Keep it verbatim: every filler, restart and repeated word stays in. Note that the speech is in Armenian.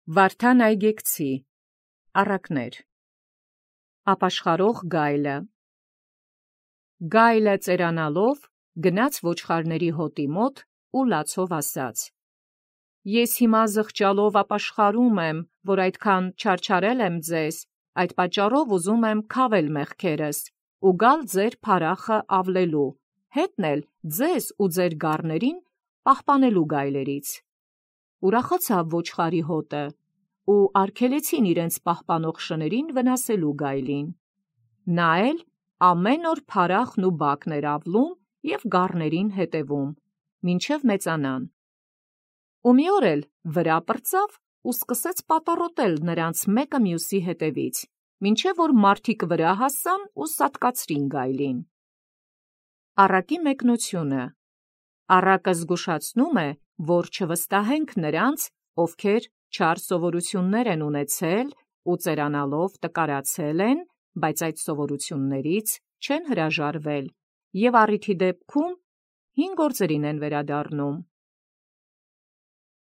Վարդան Այգեկցի առակներ Ապաշխարող գայլը Գայլը ծերանալով գնաց ոչխարների հոտի մոտ ու լացով ասաց. Ես հիմա զղջալով ապաշխարում եմ, որ այդքան չարչարել եմ ձեզ, այդ պատճառով ուզում եմ քավել մեղքերս ու գալ ձեր փարախը ավլելու, հետն էլ ձեզ ու ձեր գառներին պահպանելու գայլերից։ Ուրախացավ ոչխարի հոտը, ու արգելեցին իրենց պահպանող շներին վնասելու գայլին։ Նա էլ ամեն օր փարախն ու բակն էր ավլում և գառներին հետևում, մինչև մեծանան։ Ու մի օր էլ վրա պրծավ ու սկսեց պատառոտել նրանց մեկը մյուսի հետևից, մինչև որ մարդիկ վրա հասան ու սատկացրին գայլին։ Առակի մեկնությունը Առակը զգուշացնում է, որ չվստահենք նրանց, ովքեր չար սովորություններ են ունեցել ու ծերանալով տկարացել են, բայց այդ սովորություններից չեն հրաժարվել և առիթի դեպքում հին գործերին են վերադառնում։